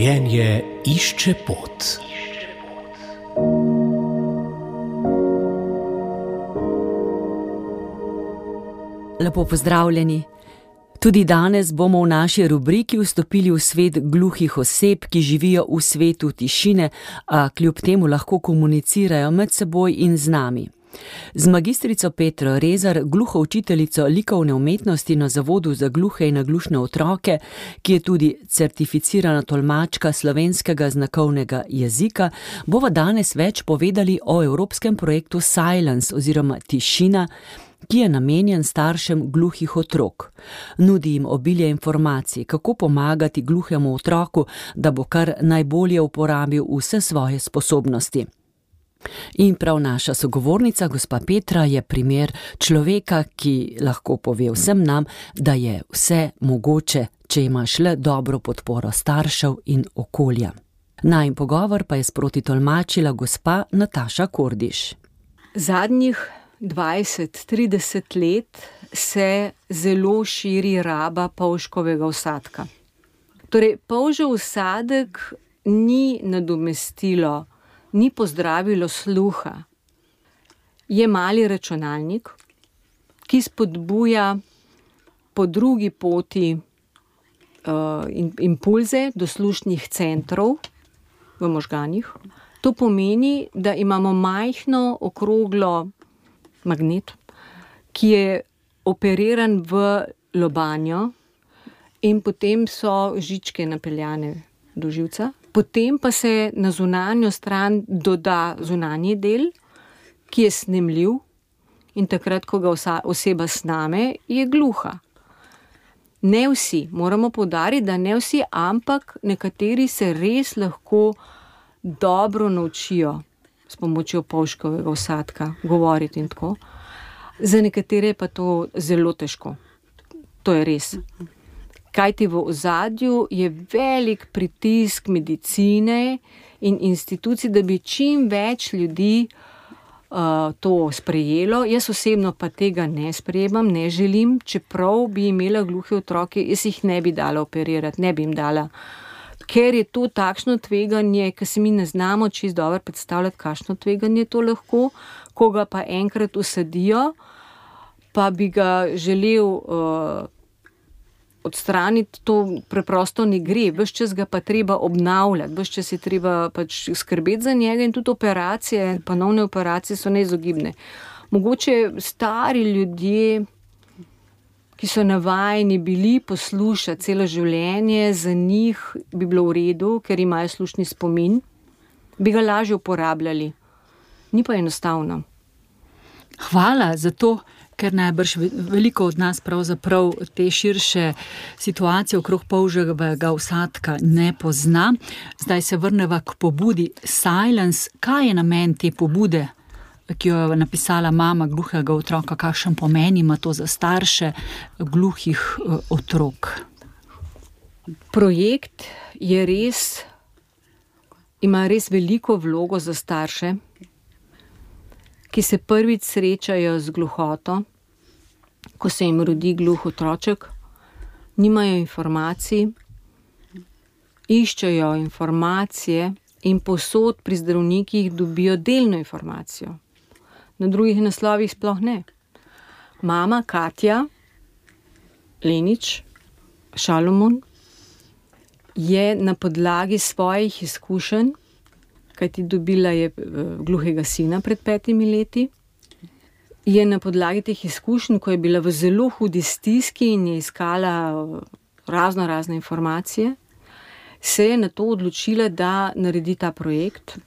Življenje išče pot. Lepo pozdravljeni. Tudi danes bomo v naši rubriki vstopili v svet gluhih oseb, ki živijo v svetu tišine, a kljub temu lahko komunicirajo med seboj in z nami. Z magistrico Petro Rezar, gluho učiteljico likovne umetnosti na Zavodu za gluhe in naglušne otroke, ki je tudi certificirana tolmačka slovenskega znakovnega jezika, bova danes več povedali o evropskem projektu Silence oziroma Tišina, ki je namenjen staršem gluhih otrok. Nudi jim obilje informacij, kako pomagati gluhemu otroku, da bo kar najbolje uporabil vse svoje sposobnosti. In prav naša sogovornica, gospa Petra, je primer človeka, ki lahko pove vsem nam, da je vse mogoče, če imaš le dobro podporo staršev in okolja. Najin pogovor pa je sproti tolmačila gospa Nataša Kordiš. Zadnjih 20-30 let se zelo širi raba polžkovega vsadka. Torej, polžev vsadek ni nadomestilo, ni pozdravilo sluha. Je mali računalnik, ki spodbuja po drugi poti impulze do slušnih centrov v možganih. To pomeni, da imamo majhno okroglo magnet, ki je operiran v lobanjo in potem so žičke napeljane do živca. Potem pa se na zunanjo stran doda zunanji del, ki je snemljiv in takrat, ko ga oseba sname, je gluha. Ne vsi, moramo poudariti, da ne vsi, ampak nekateri se res lahko dobro naučijo s pomočjo polžkovega vsadka govoriti in tako. Za nekatere pa to zelo težko. To je res. Kajti v ozadju je velik pritisk medicine in institucij, da bi čim več ljudi to sprejelo. Jaz osebno pa tega ne sprejemam, ne želim, čeprav bi imela gluhe otroke, jaz jih ne bi dala operirati, ne bi jim dala. Ker je to takšno tveganje, ker se mi ne znamo čisto dobro predstavljati, kakšno tveganje to lahko, ko ga pa enkrat usadijo, pa bi ga želel odstraniti, to preprosto ne gre. Ves čas ga pa treba obnavljati, ves čas je treba pač skrbeti za njega in tudi operacije, ponovne operacije so neizogibne. Mogoče stari ljudje, ki so navajeni bili poslušati celo življenje, za njih bi bilo v redu, ker imajo slušni spomin, bi ga lažje uporabljali. Ni pa enostavno. Hvala za to, ker najbrž veliko od nas pravzaprav te širše situacije okrog polževega vsadka ne pozna. Zdaj se vrneva k pobudi Silence. Kaj je namen te pobude, ki jo je napisala mama gluhega otroka, kakšen pomen ima to za starše gluhih otrok? Projekt ima res veliko vlogo za starše, ki se prvič srečajo z gluhoto, ko se jim rodi gluh otroček, nimajo informacij, iščejo informacije in povsod pri zdravnikih dobijo delno informacijo. Na drugih naslovih sploh ne. Mama Katja Lenič Šalomon je na podlagi svojih izkušenj, kajti dobila je gluhega sina pred 5 leti, je na podlagi teh izkušenj, ko je bila v zelo hudi stiski in je iskala razne informacije, se je na to odločila, da naredi ta projekt,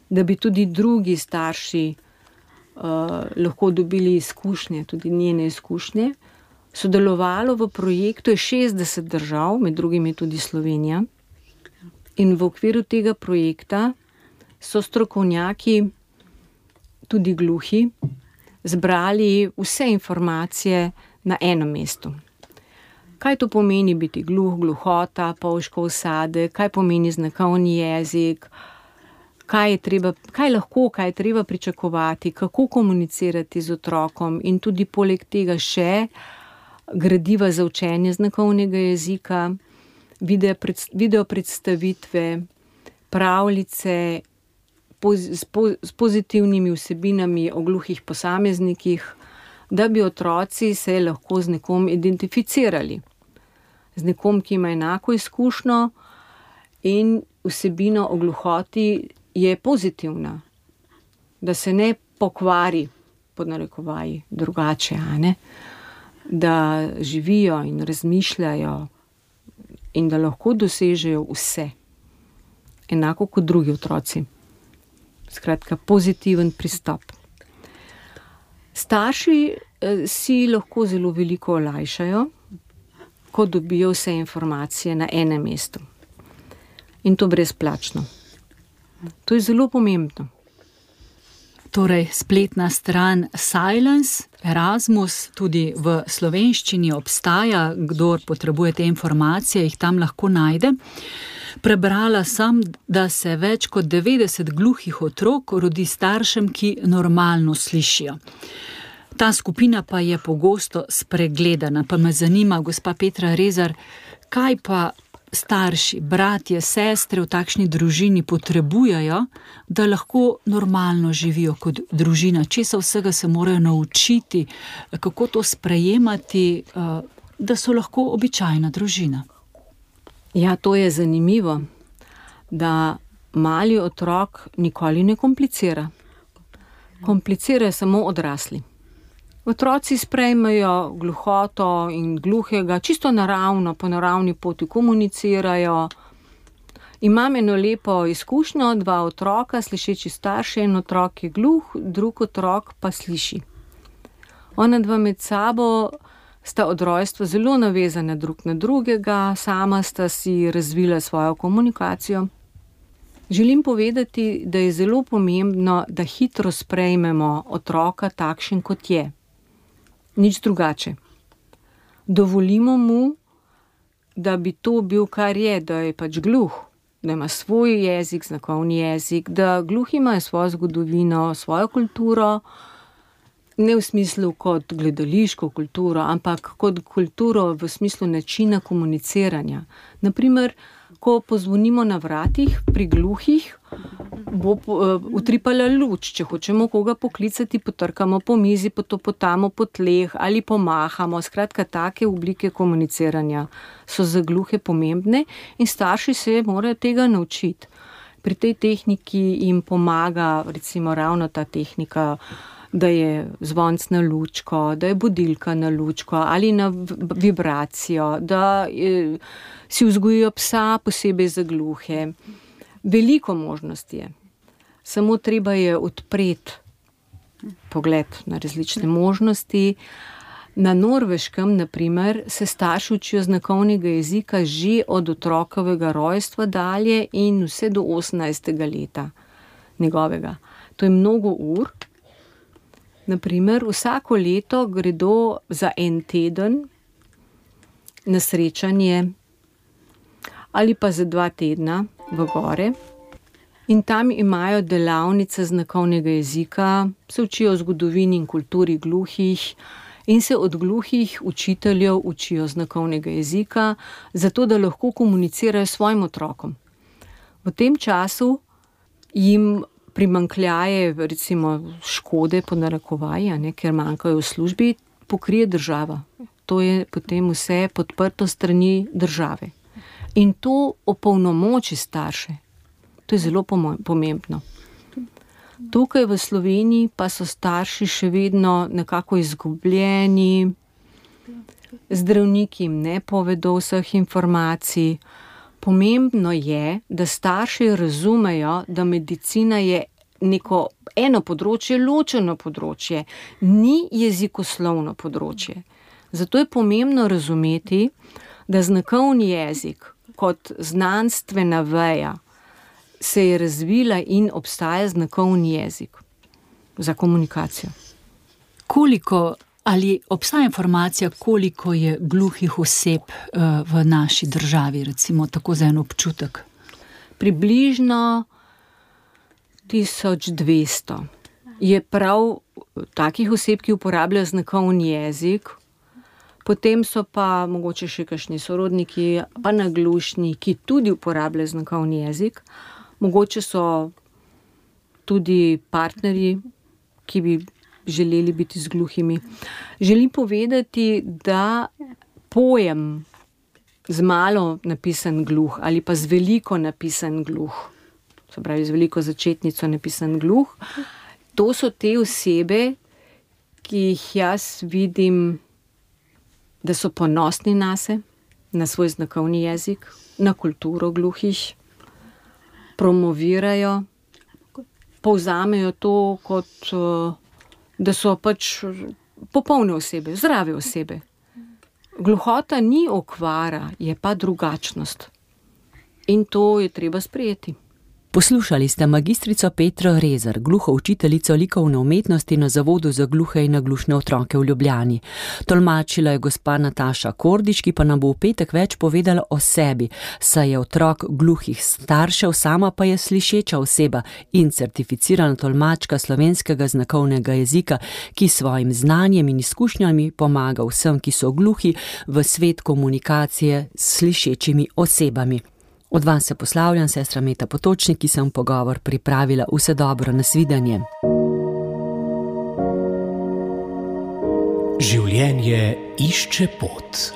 da bi tudi drugi starši lahko dobili izkušnje, tudi njene izkušnje. Sodelovalo v projektu je 60 držav, med drugimi tudi Slovenija. In v okviru tega projekta so strokovnjaki, tudi gluhi, zbrali vse informacije na enem mestu. Kaj to pomeni biti gluh, gluhota, polžkov vsadek, kaj pomeni znakovni jezik, kaj je treba pričakovati, kako komunicirati z otrokom in tudi poleg tega še gradiva za učenje znakovnega jezika, video predstavitve, pravljice s pozitivnimi vsebinami o gluhih posameznikih, da bi otroci se lahko z nekom identificirali. Z nekom, ki ima enako izkušnjo in vsebina o gluhoti je pozitivna. Da se ne pokvari, pod narekovaji, drugače, a ne? Da živijo in razmišljajo in da lahko dosežejo vse. Enako kot drugi otroci. Skratka, pozitiven pristop. Starši si lahko zelo veliko olajšajo, ko dobijo vse informacije na enem mestu. In to brezplačno. To je zelo pomembno. Torej, spletna stran Silence, Erasmus, tudi v slovenščini obstaja, kdor potrebuje te informacije, jih tam lahko najde. Prebrala sem, da se več kot 90 gluhih otrok rodi staršem, ki normalno slišijo. Ta skupina pa je pogosto spregledana. Pa me zanima, gospa Petra Rezar, kaj pa starši, bratje, sestre v takšni družini potrebujejo, da lahko normalno živijo kot družina? Česa vsega se morajo naučiti, kako to sprejemati, da so lahko običajna družina? Ja, to je zanimivo, da mali otrok nikoli ne komplicira. Komplicirajo samo odrasli. Otroci sprejmejo gluhoto in gluhega, čisto naravno, po naravni poti komunicirajo. Imam eno lepo izkušnjo, 2 otroka, slišeči starši, en otrok je gluh, drug otrok pa sliši. Ona 2 med sabo sta od rojstva zelo navezana drug na drugega, sama sta si razvila svojo komunikacijo. Želim povedati, da je zelo pomembno, da hitro sprejmemo otroka takšen, kot je. Nič drugače. Dovolimo mu, da bi to bil, kar je, da je pač gluh, da ima svoj jezik, znakovni jezik, da gluhi imajo svojo zgodovino, svojo kulturo, ne v smislu kot gledališko kulturo, ampak kot kulturo v smislu načina komuniciranja. Naprimer, ko pozvonimo na vratih pri gluhih, bo utripala luč. Če hočemo koga poklicati, potrkamo po mizi, potopotamo po tleh ali pomahamo. Skratka, take oblike komuniciranja so za gluhe pomembne in starši se morajo tega naučiti. Pri tej tehniki jim pomaga recimo ravno ta tehnika, da je zvonc na lučko, da je budilka na lučko ali na vibracijo, da si vzgojijo psa posebej za gluhe. Veliko možnosti je. Samo treba je odpreti pogled na različne možnosti. Na Norveškem, na primer, se starši učijo znakovnega jezika že od otrokovega rojstva dalje in vse do 18. leta njegovega. To je mnogo ur. Na primer, vsako leto gredo za en teden na srečanje ali pa za 2 tedna v gore in tam imajo delavnice znakovnega jezika, se učijo o zgodovini in kulturi gluhih in se od gluhih učiteljev učijo znakovnega jezika, zato da lahko komunicirajo s svojim otrokom. V tem času jim primanjkljaje, recimo škode po narekovaji, ker manjkajo v službi, pokrije država. To je potem vse podprto strani države. In to opolnomoči starše. To je zelo pomembno. Tukaj v Sloveniji pa so starši še vedno nekako izgubljeni, zdravniki jim ne povedo vseh informacij. Pomembno je, da starši razumejo, da medicina je eno področje, ločeno področje, ni jezikoslovno področje. Zato je pomembno razumeti, da znakovni jezik kot znanstvena veja se je razvila in obstaja znakovni jezik za komunikacijo. Ali obstaja informacija, koliko je gluhih oseb v naši državi, recimo tako za en občutek? Približno 1200 je prav takih oseb, ki uporabljajo znakovni jezik. Potem so pa mogoče še kakšni sorodniki, pa naglušni, ki tudi uporabljajo znakovni jezik. Mogoče so tudi partnerji, ki bi želeli biti z gluhimi. Želim povedati, da pojem z malo napisan gluh ali pa z veliko napisan gluh, se pravi z veliko začetnico napisan gluh, to so te osebe, ki jih jaz vidim, da so ponosni nase, na svoj znakovni jezik, na kulturo gluhih, promovirajo, povzamejo to kot, da so pač popolne osebe, zdrave osebe. Gluhota ni okvara, je pa drugačnost. In to je treba sprejeti. Poslušali ste magistrico Petro Rezar, gluho učiteljico likovne umetnosti na Zavodu za gluhe in naglušne otroke v Ljubljani. Tolmačila je gospa Nataša Kordič, ki pa nam bo v petek več povedala o sebi, saj je otrok gluhih staršev, sama pa je slišeča oseba in certificirana tolmačka slovenskega znakovnega jezika, ki svojim znanjem in izkušnjami pomaga vsem, ki so gluhi, v svet komunikacije s slišečimi osebami. Od vas se poslavljam, sestra Meta Potočnik, ki sem pogovor pripravila. Vse dobro, nasvidenje. Življenje išče pot.